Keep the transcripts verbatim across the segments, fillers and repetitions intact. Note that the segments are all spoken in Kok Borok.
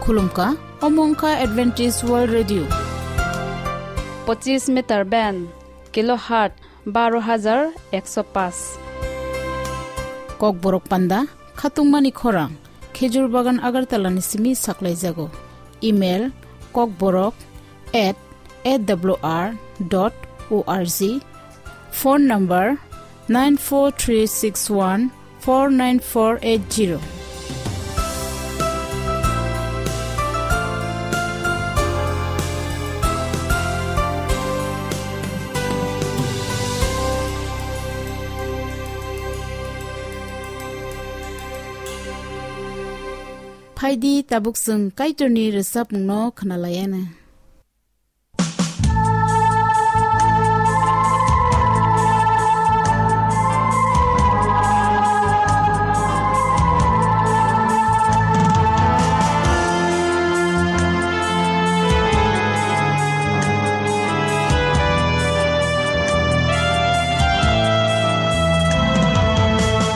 Khulumkha, omo wngkha Adventist World Radio. Pochis meter band, kilohertz baro hajar ekso paanch. Kokborok panda, khatungmani khorang, Khejur Bagan Agartala ni simi saklaijago. Email, kokborok at A W R dot O R G. Phone number, nine four three six one four nine four eight zero. Phaidi, tabuk chwng Kaitorni rwchapmungno khwnalaiana.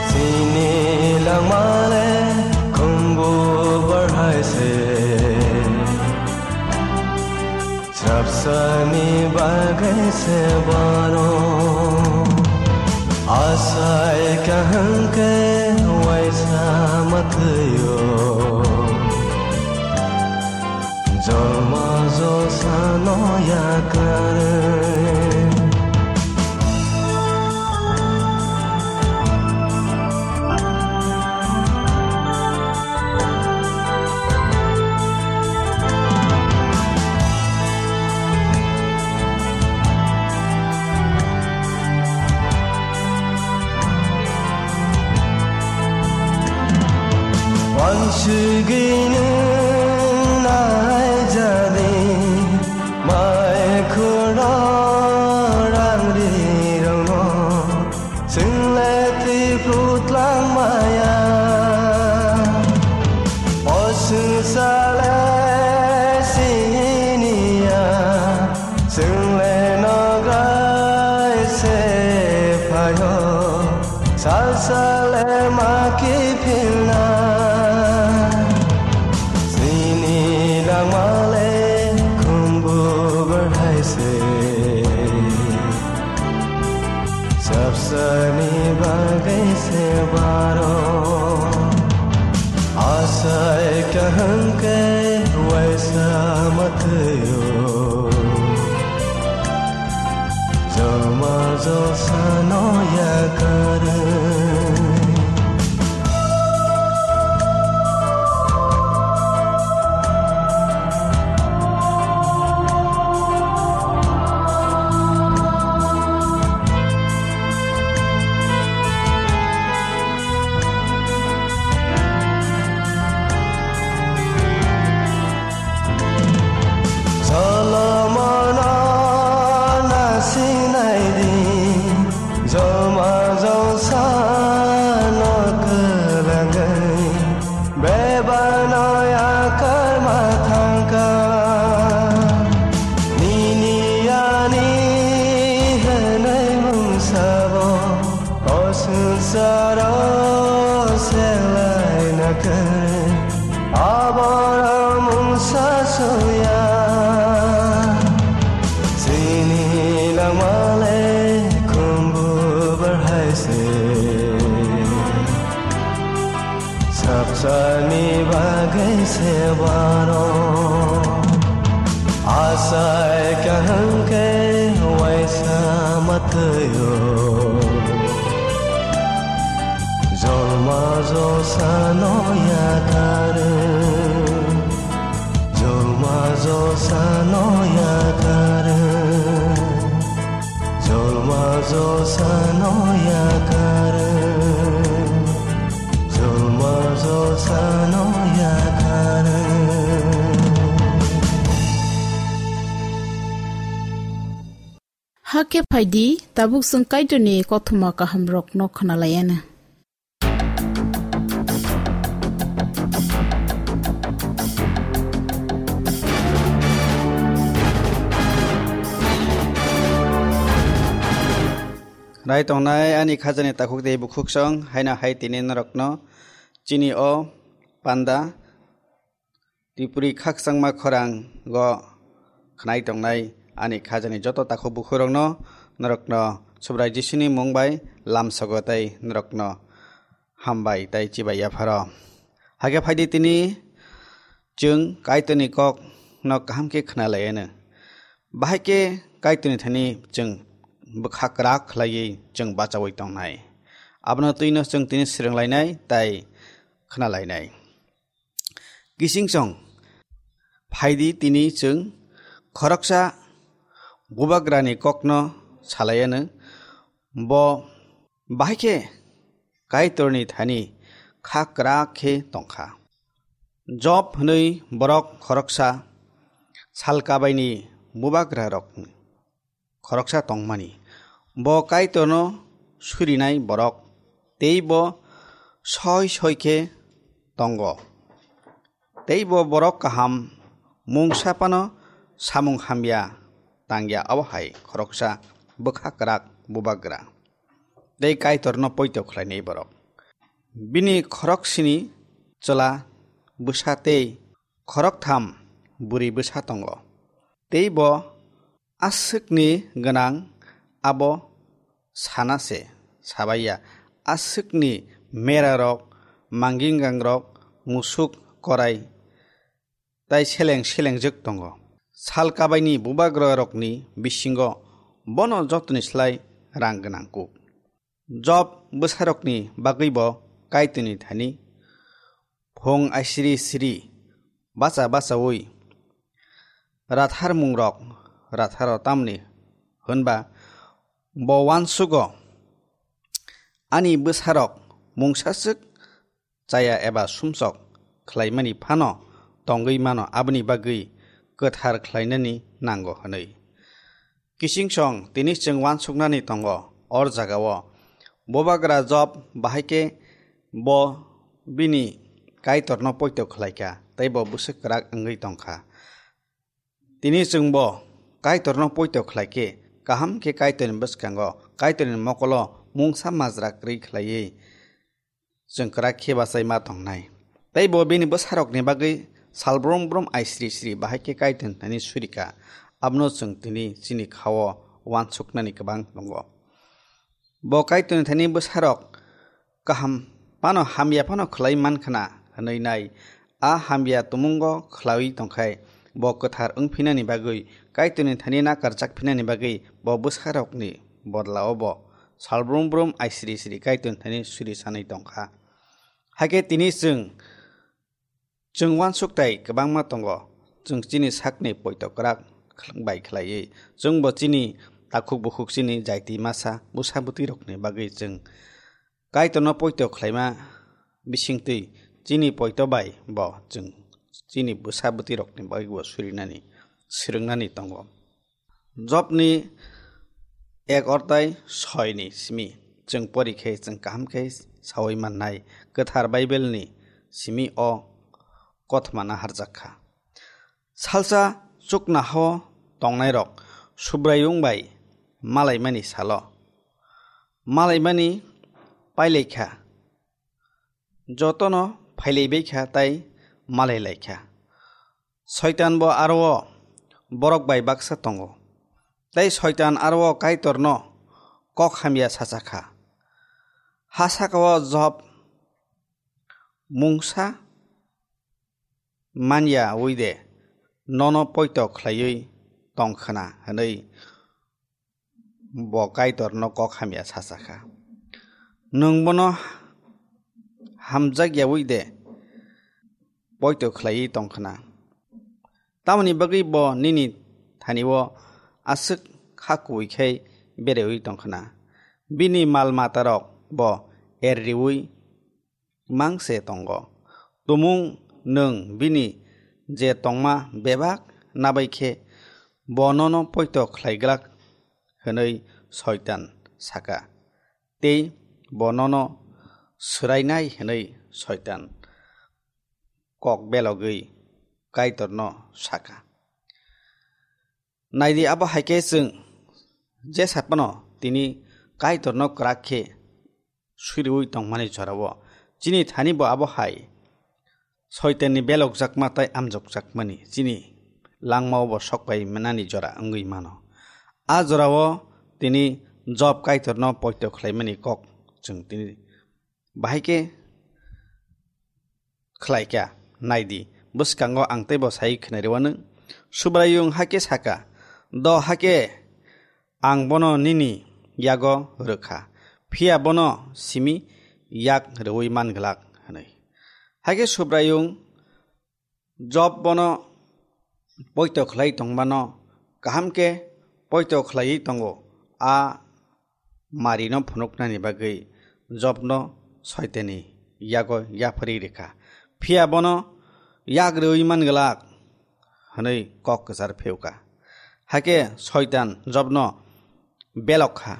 Chini langmale khumbu barhai se. Chapsani bagwi se baro asai kaham ke waisa matwio jolma jolsa no yakar. Wansigini nai jadi mai khuro rang ri rong no. Chwngle twi putlang maya, o swngchar le siniya, chwngle nograi se phaio, salsa le ma kiphilna. Chini langmale khumbu barhai se. Chapsani bagwi se baro asai kaham ke waisa matwio jolma jolsa no yakar. Solomon na sinai di, jolma jolsa no kwlangwi. Bebano yakar ma thangkha, nini ani hwnwi mungsabo o swngcharo selai nakhe, aboro mungsa suya. Chini langmale khumbu barhai se. Chapsani bagwi se baro asai kaham ke waisa matwio jolma jolsa no yakar. Jolma jolsa no yakar. Jolma jolsa no yakar. Jolma jolsa no yakar. Hakhe phaidi, tabuk chwng Kaitorni kothoma kahamrokno khwnalaiana. Rai tongnai ani khajani takhuk tei bukhuksong, haino hai tini norokno chini o panda Tripuri khakchangma khorango khnai tongnai ani khajani joto takhuk bukhurokno norokno Subrai Jisuni mung bai lamsogo tei norokno hambai tei chibai yapharo. Hakhe phaidi tini chwng Kaitorni kokno kaham khe khna lai anw. Bahai khe Kaitorni thani chwng bwkha kwrak khlaiwi chwng bachaui tongnai. Abono twino chwng tini swrwng lainai tei khna lainai. Kising song phaidi tini chwng khoroksa bubagrani kokno salai anw. Bo bahai khe Kaitorni thani kha kwrak khe tongkha. Job hwnwi borok khoroksa salkabaini bubagrarokni khoroksa tongmani. Bo Kaitorno surinai borok, tei bo soi soi khe tongo. Tei bo borok kaham mungsa phano samung hamya tangya, abo hai khoroksa bwkha kwrak bubagra tei Kaitorno poito khlainai borok. Bini khoroksini chwla bwsa tei khoroktham bwrwi bwsa tongo. Tei bo aswkni gwnang abo sana se sabaiya, aswkni merarok, manginggangrok, musuk korai tai seleng selengjwk tongo. Sal kabaini bubagrarokni bisingo bono jotoni slai rang gwnang kuk. Job bwsarokni bagwi bo Kaitorni thani phung aisiri siri bacha bachaui ratharmungrok ratharo, tamni hwnba bo uansugo, ani bwsarok mungsaswk chaya eba sumsok khlaimani phano tongwi mano, aboni bagwi kwthar khlainani nango hwnwi. Kising song tini chwng uansuknani tongo, or jagao bubagra Job bahai khe bo bini Kaitorno poito khlaikha tei bo bwswk kwrak wngwi tongkha. Tini chwngbo Kaitorno poito khlai khe, kaham khe Kaitorni bwskango, Kaitorni mokolo mungsa majra kwrwi khlaiwi chwng kwrak khe bachai ma tongnai. Tei bo bini bwsarokni bagwi sal brum brum ai sri sri bahai khe Kaitorni thani surika. Abono chwng tini chini khao uansuknani kwbang tongo. Bo Kaitorni thani bwsarok kaham phano hamya phano khlai man khna hwnwi nai. A hamya tumungo khlaiwi tongkhai, bo kwthar wng phinani bagwi, Kaitorni thani nakarjak phinani bagwi bo bwsarokni bodlao bo sal brum brum ai sri sri Kaitorni thani suri sanwi tongkha. Hakhe tini chwng, chwng uansuk tai kwbangma tongo, chwng chini sakni poito kwrak bai khlaiwi, chwngbo chini takhuk bukhuk chini jaiti masa bwsa bwtwirokni bagwi chwng Kaitorno poito khlaima bisingtwi chini poito bai bo chwng chini bwsa bwtwirokni bagwi bo surinani, swrwngnani tongo. Jobni ek ortai soini simi chwng pori khe chwng kaham khe saui mannai, kwthar Bible ni simi o kothoma naharjak kha. Salsa chuknohao tongnairok Subraiyung bai malaimani salo malaimani pailai kha, jotono phailaibai kha tai malai lai kha. Soitan bo aro borok bai baksa tongo. Tei Soitan aro Kaitorno kok hamya sacha kha. Ha sakao Job mungsa manya ui de nono poito khlaiwi tong khna hwnwi bo Kaitorno kok hamya sacha kha. Nwng bono hamjak yaui de poito khlaiwi tong khna? Tamoni bagwi bo nini thani-o aswk kha kubui khai bereui tong khna? Bini mal matarok bo er riui mang se tongo. Tumung nwng bini je tongma bebak nabai khe bo nono poito khlaiglak hwnwi Soitan saka, tei bo nono swrainai hwnwi Soitan kok belogwi Kaitorno saka. Naidi, abo hai khe chwng je sat phano tini Kaitorno kwrak khe suriui tongmani jorao chini thani bo abo hai Soitanni belokjakma tei amjokjakmani chini langmao bo sokpai manani jora wngwi mano. A jorao tini Job Kaitorno poito khlaimani kok chwng tini bahai khe khlaikha. Naidi, bwskango ang teibo sai khwnariwano. Subraiyung hai khe sakha, "Do hai khe ang bono nini yago rwkha, phiya bono simi yak rwui man glak," hwnwi. Hai khe Subraiyung Job bono poito khlai tongmano kaham khe poito khlaiwi tongo. A marino phunuknani bagwi Jobno Soitanni yago yapharwi rikha, phiya bono yak rwui man glak hwnwi kok kwchar phiyokha. Hakhe Soitan Jobno belok kha.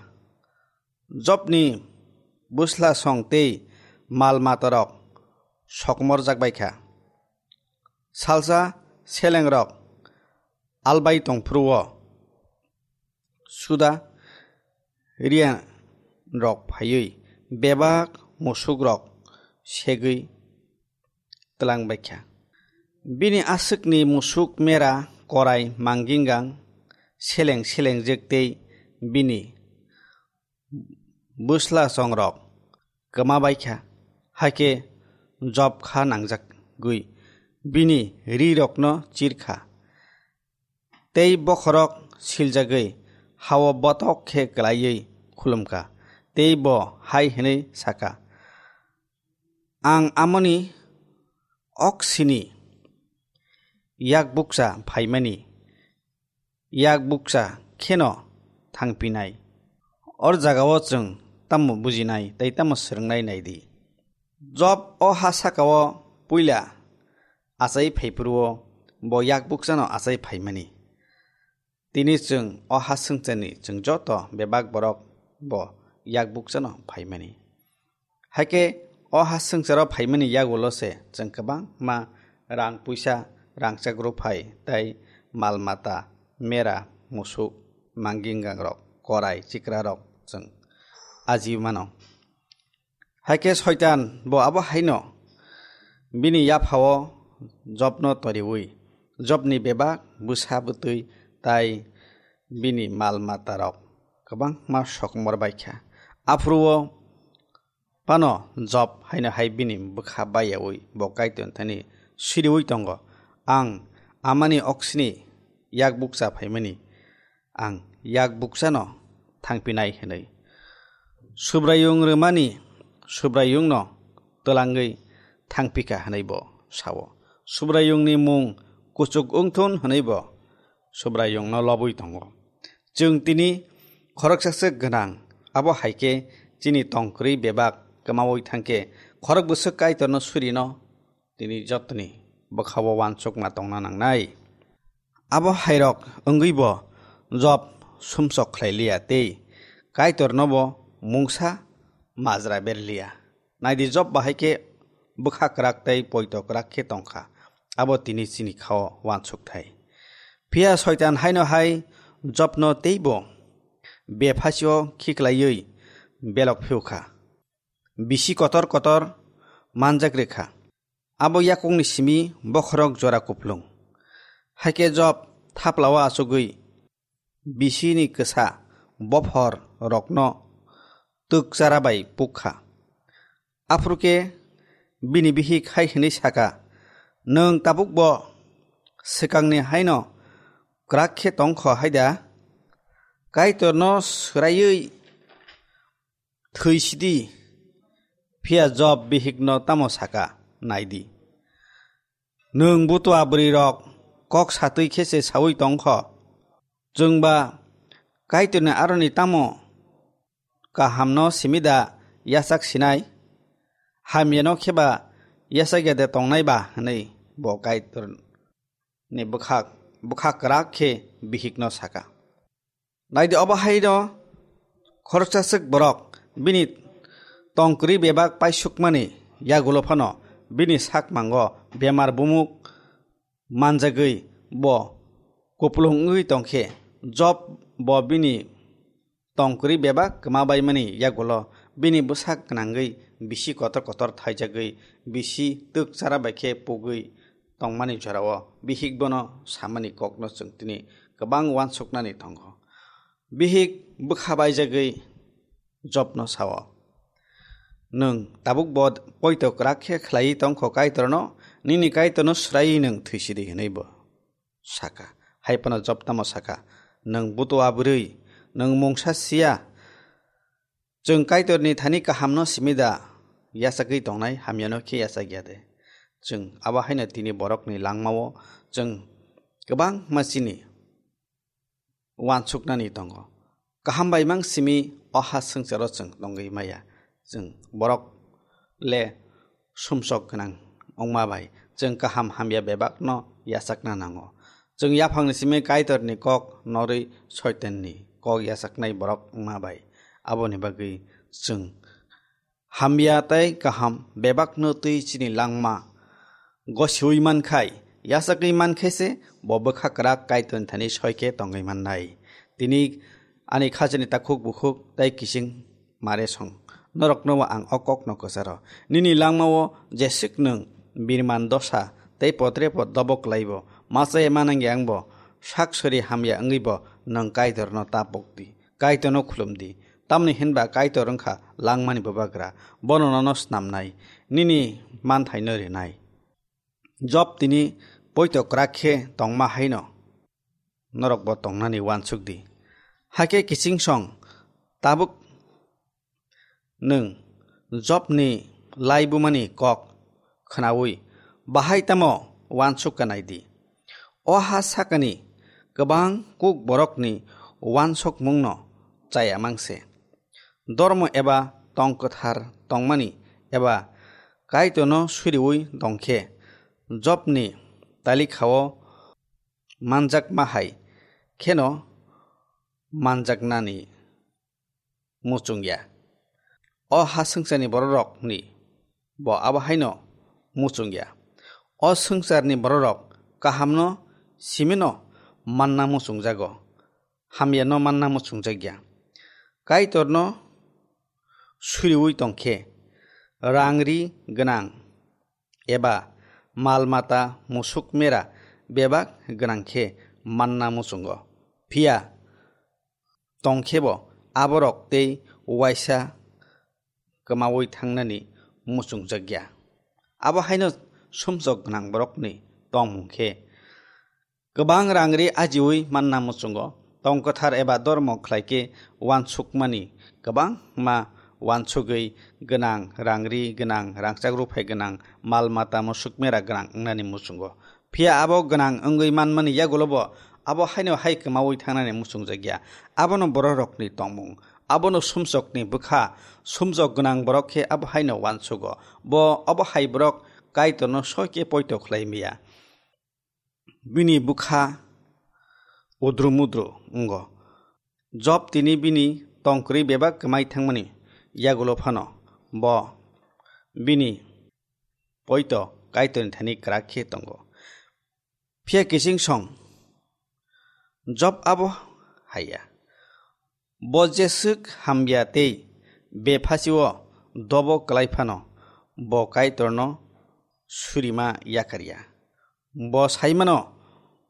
Jobni bwslasong tei mal matarok sokomorjak bai kha. Salsa selengrok albai tongphuru-o suda riyangrok phaiwi bebak musukrok segwi twlang bai kha. Bini aswkni musuk mera korai manggingang seleng selengjak tei bini bwslasongrok kwma bai kha. Hakhe Job kha nangjagwi bini rirokno chir kha. Tei bokhorok siljagwi ha-o botok khe kwlaiwi khulum kha. Tei bo hai hwnwi sa kha, "Ang amoni oksini yak bukcha phaimani yak bukcha kheno thangpinai. Or jagao chwng tamo bujinai tei tamo swrwngnai nai di." Job o ha sakao puila achai phaiphuru-o bo yak bukchano achai phaimani. Tini chwng o ha swngcharni chwng joto bebak borok bo yak bukchano phaimani. Hakhe o ha swngcharo phaimani yagulo se chwng kwbangma rang puisa, rangchak rwphai tei mal mata, mera, musuk, manggingangrok, korai, chikrarok chwng ajiwi mano. Hakhe Soitan bo abo haino bini yaphao Jobno toriwi, Jobni bebak bwsa bwtwi tei bini mal matarok kwbangma sokomor bai kha. Aphuru-o phano Job haino hai bini bwkha baiyaui bo Kaitorni thani siriui tongo, "Ang amani oksini yak bukcha phaimani, ang yak bukchano thangpinai," hwnwi. Subraiyung rwmani Subraiyungno twlangwi thangpikha hwnwi bo sao. Subraiyungni mung kuchuk wngthun hwnwi bo Subraiyungno lobwi tongo. Chwng tini khoroksa swk gwnang, abo hai khe chini tongkwrwi bebak kwmaui thang khe khorok bwswk Kaitorno surino tini jotoni bwkhao uansukma tongna nangnai. Abo hairok wngwi bo Job sumsok khlai liya tei Kaitorno bo mungsa majra ber liya. Naidi, Job bahai khe bwkha kwrak tei poito kwrak khe tong kha, abo tini chini khao uansuk thai. Phiya Soitan haino hai Jobno teibo bephasio khiklaiwi belok phiyok kha, bisi kotor kotor manjak rw kha. Abo yakungni simi bokhorok jora kuplung. Hakhe Job thaplao achugwi bisini kwsa bophor rokno twk chara bai puk kha. Aphuru khe bini bihik hai hwnwi sa kha, "Nwng tabukbo swkangni haino kwrak khe tong kho hai da? Kaitorno swraiwi thwi sidi." Phiya Job bihikno tamo sa kha, nai di. Nwng butua bwrwirok kok satwi khe se saui tong kho. Chwng ba Kaitorni aroni tamo kahamno simi da yachak sinai? Hamyano khe ba yachak ya de tongnai ba? Hwnwi bo Kaitorni bwkhak, bwkhak kwrak khe bihikno sa kha. Nai di, obo hai no khoroksa swk borok bini tongkwrwi bebak paisukmani yagulo phano bini sakmango bemar bumuk manjagwi bo kupulung wngwi tong khe, Job bo bini tongkwrwi bebak kwma baimani yagulo Bini bwsak gwnangwi bisi kotor kotor thaijagwi bisi twk chara bai khe pugwi tongmani jorao bihik bono samani kokno chwng tini kwbang uansuknani tongo. Bihik bwkha baijagwi Jobno sao, "Nwng tabuk bo poito kwrak khe khlaiwi tongkho Kaitorno, nini Kaitorno swraiwi nwng thwisidi," hwnwi bo saka. Hai phano Job tamo saka, "Nwng butua bwrwi, nwng mungsa siya. Chwng Kaitorni thani kahamno simi da yachagwi tongnai, hamyano khe yachak ya de?" Chwng abo haino tini borokni langmao chwng kwbangma chini uansuknani tongo. Kaham bai mang simi o ha swngcharo chwng tongwi maya. Chwng borok le sumsok gwnang wngma bai chwng kaham hamya bebakno yachakna nango. Chwng yaphangni simi Kaitorni kok norwi Soitanni kok yachaknai borok wngma bai. Aboni bagwi chwng hamya tei kaham bebakno twi chini langma gosiui mankhai, yachakwi mankhai se bo bwkha kwrak Kaitorni thani soikhe tongwi mannai. Tini ani khajani takhuk bukhuk tei kiching mare song. Norokno ang o kokno kwcharo. Nini langmao jeswk nwng birman dosa tei potre pot dobo klaibo, machai manang yang bo, sak sori hamya wngwi bo nwng Kaitorno ta pokdi. Kaitorno khulumdi. Tamni hinba Kaitor wngkha langmani bubagra. Bono nono snamnai, nini manthaino rinai. Job tini poito kwrak khe tongma haino norok bo tongnani uansuk di. Hakhe kiching song tabuk nwng Jobni laibumani kok khnaui bahai tamo uansuk kanai di. O ha sakani kwbang kuk borokni uansukmungno chaya mangse. Dormo eba tong kwthar tongmani eba Kaitorno suriui tongkhe Jobni talikhao manjakma hai kheno manjaknani muchungya. O ha swngcharni bororokni bo abo haino muchungya. O swngcharni bororok kahamno simino manna muchungjago, hamyano manna muchungjakya. Kaitorno suriui tongkhe rang ri gwnang eba mal mata musuk mera bebak gwnang khe manna muchungo. Phiya tongkhebo aborok tei uaisa kwmaui thangnani muchungjakya. Abo haino sumsok gwnang borokni tongmung khe kwbang rang ri ajiui manna muchungo. Tong kwthar eba dormo khlai khe uansukmani kwbangma uansugwi gwnang, rang ri gwnang, rangchak ruphai gwnang, mal mata musuk mera gwnang wngnani muchungo. Phiya abo gwnang wngwi manmani yagulo bo abo haino hai kwmaui thangnani muchungjakya. Abono bororokni tongmung, abono sumsokni bwkha, sumsok gwnang borok khe abo haino uansugo. Bo abo hai borok Kaitorno soi khe poito khlai maya. Bini bwkha udru mudru wngo. Job tini bini tongkwrwi bebak kwmai thangmani yagulo phano bo bini poito Kaitorni thani kwrak khe tongo. Phiya kiching song Job abo haiya. Bo jeswk hamya tei bephasio dobo kwlai phano bo Kaitorno surima yakarya. Bo saimano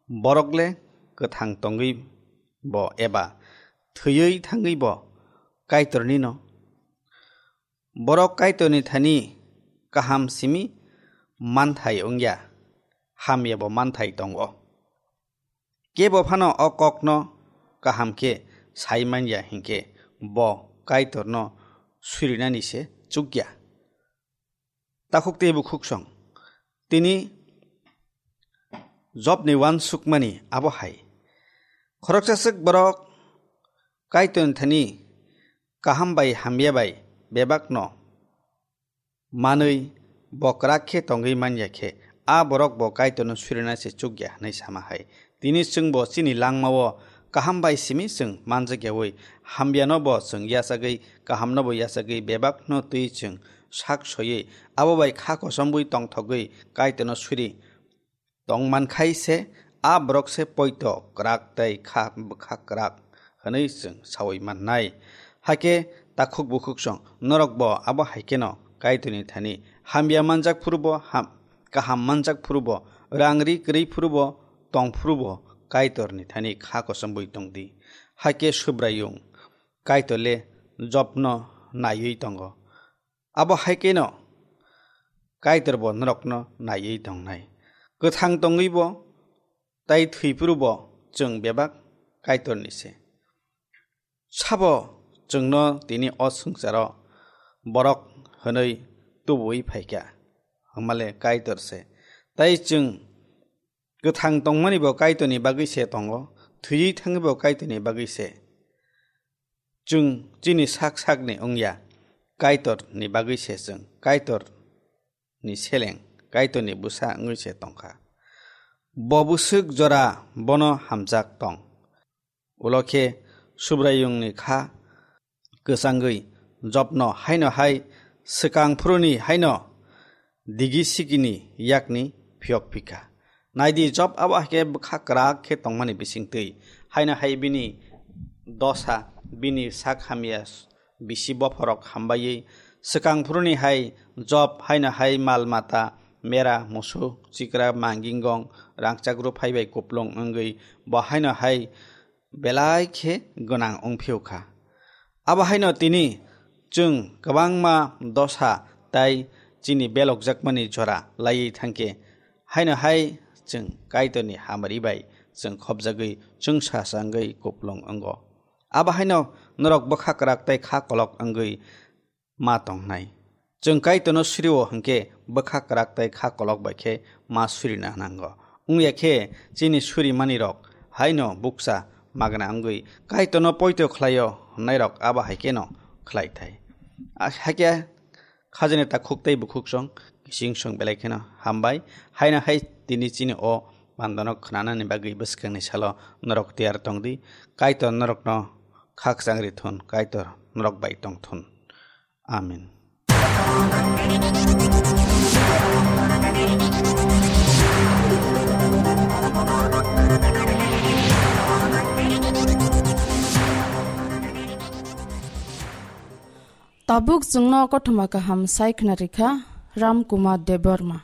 borok le kwthang tongwi bo eba thwiwi thangwi bo Kaitornino. Borok Kaitorni thani kaham simi manthai wngya, hamyabo manthai tongo. Kebo phano o kokno kaham khe sai manya hinkhe bo Kaitorno surinani se chukya. Takhuk tei bukhuk song. Tini Jobni uansukmani abo hai. Khoroksa swk borok Kaitorni thani kaham bai hamya bai bebakno manwi bo kwrak khe tongwi manya khe, a borok bo Kaitorno surina se chukya hwnwi sama hai. Tini chwngbo chini langmao kaham bai simi chwng manjakyaui, hamyano bo chwng yachagwi, kahamno bo yachagwi, bebakno twi chwng sak soiwi, abo bai kha kosomwi tongthogwi Kaitorno suri tongmankhai se, a borok se poito kwrak tei kha bwkha kwrak hwnwi chwng saui mannai. Hakhe Takhuk bukhuk song, norok bo abo hai kheno Kaitorni thani hamya manjak phuru bo ham, kaham manjak phuru bo, rang ri kwrwi phuru bo, tong phuru bo Kaitorni thani kha kosom bui tong di. Hakhe Subraiyung Kaitor le Jobno naiwi tongo. Abo hai kheno Kaitor bo norokno naiwi tongnai. Kwthang tongwi bo tai thwi phuru bo chwng bebak Kaitorni se. Sabo chwngno tini o swngcharo borok hwnwi tubuwi phaikha, hwnmale Kaitor se. Tai chwng kwthang tongmani bo Kaitorni bagwi se tongo, thwiwi thangwi bo Kaitorni bagwi se. Chwng chini sak sakni wngya, Kaitorni bagwi se chwng Kaitorni seleng, Kaitorni bwsa wngwi se tongkha. Bo bwswk jora bono hamjak tong. Ulo khe Subraiyungni kha kwchangwi Jobno haino hai swkang phuruni haino digi sikini yakni phiyok phikha. Naidi, Job abo hai khe bwkha kwrak khe tongmani bisingtwi, haino hai bini dosa, bini sak hamya, bisi bophorok hambaiwi swkang phuruni hai Job haino hai mal mata, mera, musuk, chikra, mangingong, rangchak rw phaibai kuplung wngwi bo haino hai belai khe gwnang wng phiyokha. Abo haino tini chwng kwbangma dosa tai chini belokjakmani jora laiwi thangkhe, haino hai chwng Kaitorni hamari bai chwng khopjagwi chwngsa changwi kuplung wngo. Abo haino norok bwkha kwrak tai kha kolok wngwi ma tongnai. Chwng Kaitorno suri-o hwnkhe bwkha kwrak tei kha kolok bai khe ma surina nango. Wngya khe chini surimanirok haino bukcha magna wngwi Kaitorno poito khlai-o hwnnairok abo hai kheno khlai thai. A-, hakhe khajani takhuk tei bukhuk song, kising song belai kheno hambai. Haino hai tini chini o bandano khnanani bagwi bwskangni salo norok tiyar tong di. Kaitor norokno khakchang ri thun, Kaitor norok bai tong thun. Amen. Tabuk chwngno kothoma kaham sai khna rikha Ram Kumar Debbarma.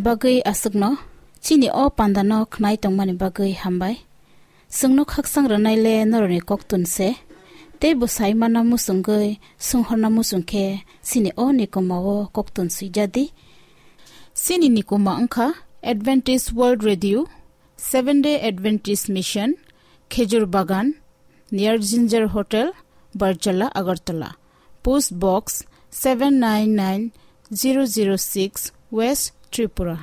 Bagwi aswkno chini o pandano khnai tongmani bagwi hambai. Chwngno khakchang rwnaile norokni koktun se. Tei bo saimano muchungwi swnghorna muchung khe chini o nikuma o koktun swijadi. Chini nikuma wngkha Adventist World Radio, Seventh Day Adventist Mission, Khejur Bagan, near Ginger Hotel, Barjala, Agartala. Post Box seven nine nine zero zero six, West Tripura.